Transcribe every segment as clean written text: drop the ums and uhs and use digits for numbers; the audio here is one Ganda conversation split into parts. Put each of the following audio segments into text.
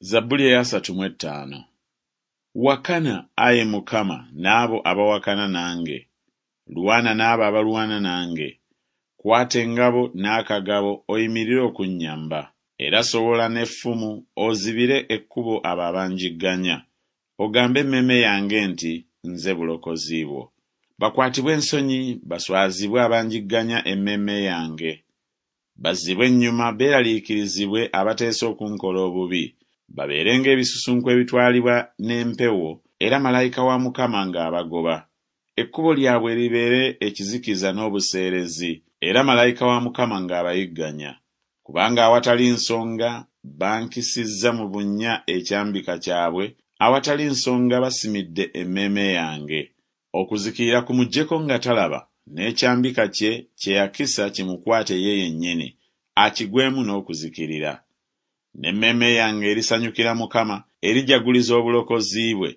Zabbuli ey'asatu mu ettaano. Wakana, ayi Mukama, n'abo abawakana nange, lwana n'abo abalwana nange. Kwata engabo n'akagabo oyimirire okunnyamba. Era sowola n'effumu ozibire ekkubo abo abanjigganya, ogambe emmeeme yange nti Nze bulokozi bwo. Bakwatibwe ensonyi baswazibwe abanjigganya emmeeme yange. Bazzibwe ennyuma beeraliikirizibwe abateesa okunkola obubi, babeere ng'ebisusunku ebitwalibwa n'empewo, era malayika wa Mukama ng'abagoba. Ekkubo lyabwe libeere ekizikiza n'obuseerezi, era malayika wa Mukama ng'abayigganya. Kubanga awatali nsonga bankisizza mu bunnya ekyambika kyabwe, awatali nsonga basimidde emmeeme yange. Okuzikirira kumujjeko nga talaba, n'ekyambika kye kye yakisa kimukwate ye yennyini, akigwemu n'okuzikirira. N'emmeeme yange erisanyukira Mukama, erijaguliza obulokozi bwe.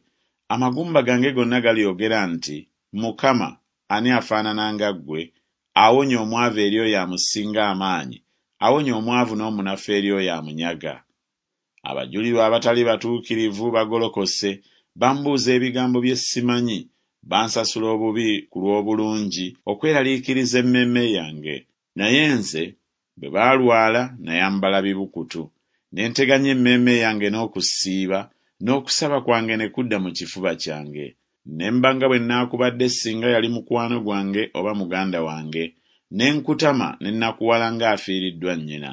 Amagumba gange gonna galyogera nti Mukama, ani afaanana nga ggwe, awonya omwavu eri oyo amusinga amaanyi, awonya omwavu n'omunafu eri oyo amunyaga? Abajulirwa abatali batuukirivu bagolokose, bambuuza ebigambo bye simanyi, bansasula obubi ku lw'obulungi, okweraliikiriza emmeeme yange. Naye nze, bwe baalwala nayambala bibukutu, ne nteganya emmeeme yange n'okusiiba, n'okusaba kwange ne kudda mu kifuba kyange. Ne mba nga bwe nnaakubadde singa yali mukwano gwange oba muganda wange, ne nkutama ne nnakuwala ng'afiiriddwa nnyina.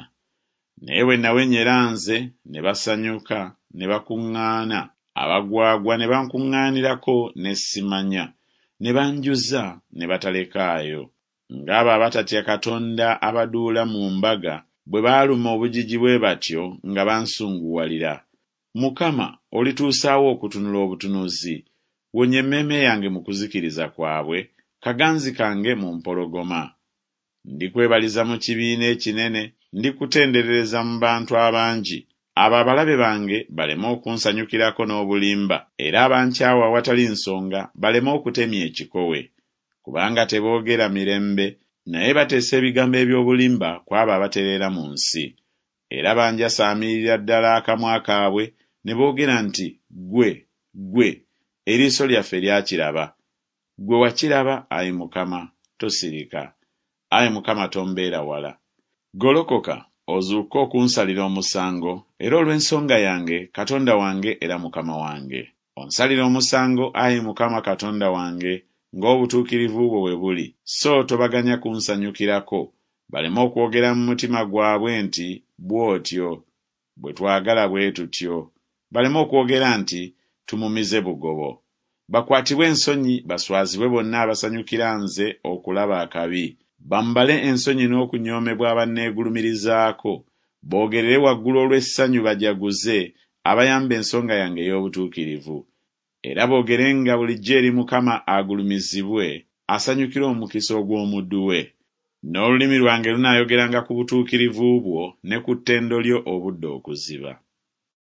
Naye bwe nawenyera nze, ne basanyuka, ne bakuŋŋaana, abagwagwa ne bankuŋŋaanirako ne simanya, ne banjuza ne batalekaayo. Ng'abo abatatya Katonda abaduula mu mbaga bwe baaluma obujiji bwe batyo nga bansunguwalira. Mukama, olituusa wa okutunula obutunuzi? Wonya emmeeme yange mu kuzikiriza kwabwe, kaganzi kange mu mpologoma. Ndikwebaliza mu kibiina ekinene, ndikutenderereza mu bantu abangi. Abo abalabe bange baleme okunsanyukirako n'obulimba, era abankyawa awatali nsonga baleme okutemya ekikowe. Kubanga teboogera mirembe, naye bateesa ebigambo eby'obulimba ku abo abatereera mu nsi. Era banjasaamirira ddala akamwa kaabwe, ne boogera nti Ggwe, ggwe, eriiso lyaffe lyakiraba. Ggwe wakiraba, ayi Mukama, tosirika. Ayi Mukama tombeera wala. Golokoka, ozuukuke okunsalira omusango, era olw'ensonga yange, Katonda wange era Mukama wange. Onsalire omusango, ayi Mukama Katonda wange, ng'obutuukirivu bwo bwe buli, so tobaganya kunsanyukirako, baleme okwogera mu mutima gwabwe nti Bw'otyo bwe twagala bwe tutyo, baleme okwogera nti Tumumize bugobo. Bakwatibwe ensonyi baswazibwe bonna abasanyukira nze okulaba akabi, bambale ensonyi n'okunyoomebwa abanneegulumirizaako, boogerere waggulu olw'essanyu bajaguze, abayamba ensonga yange ey'obutuukirivu. Era boogerenga bulijjo eri Mukama agulumizibwe, asanyukira omukisa ogw'omuddu we. N'olulimi lwange lunaayogeranga ku butuukirivu bwo ne ku ttendo lyo obudde okuziba.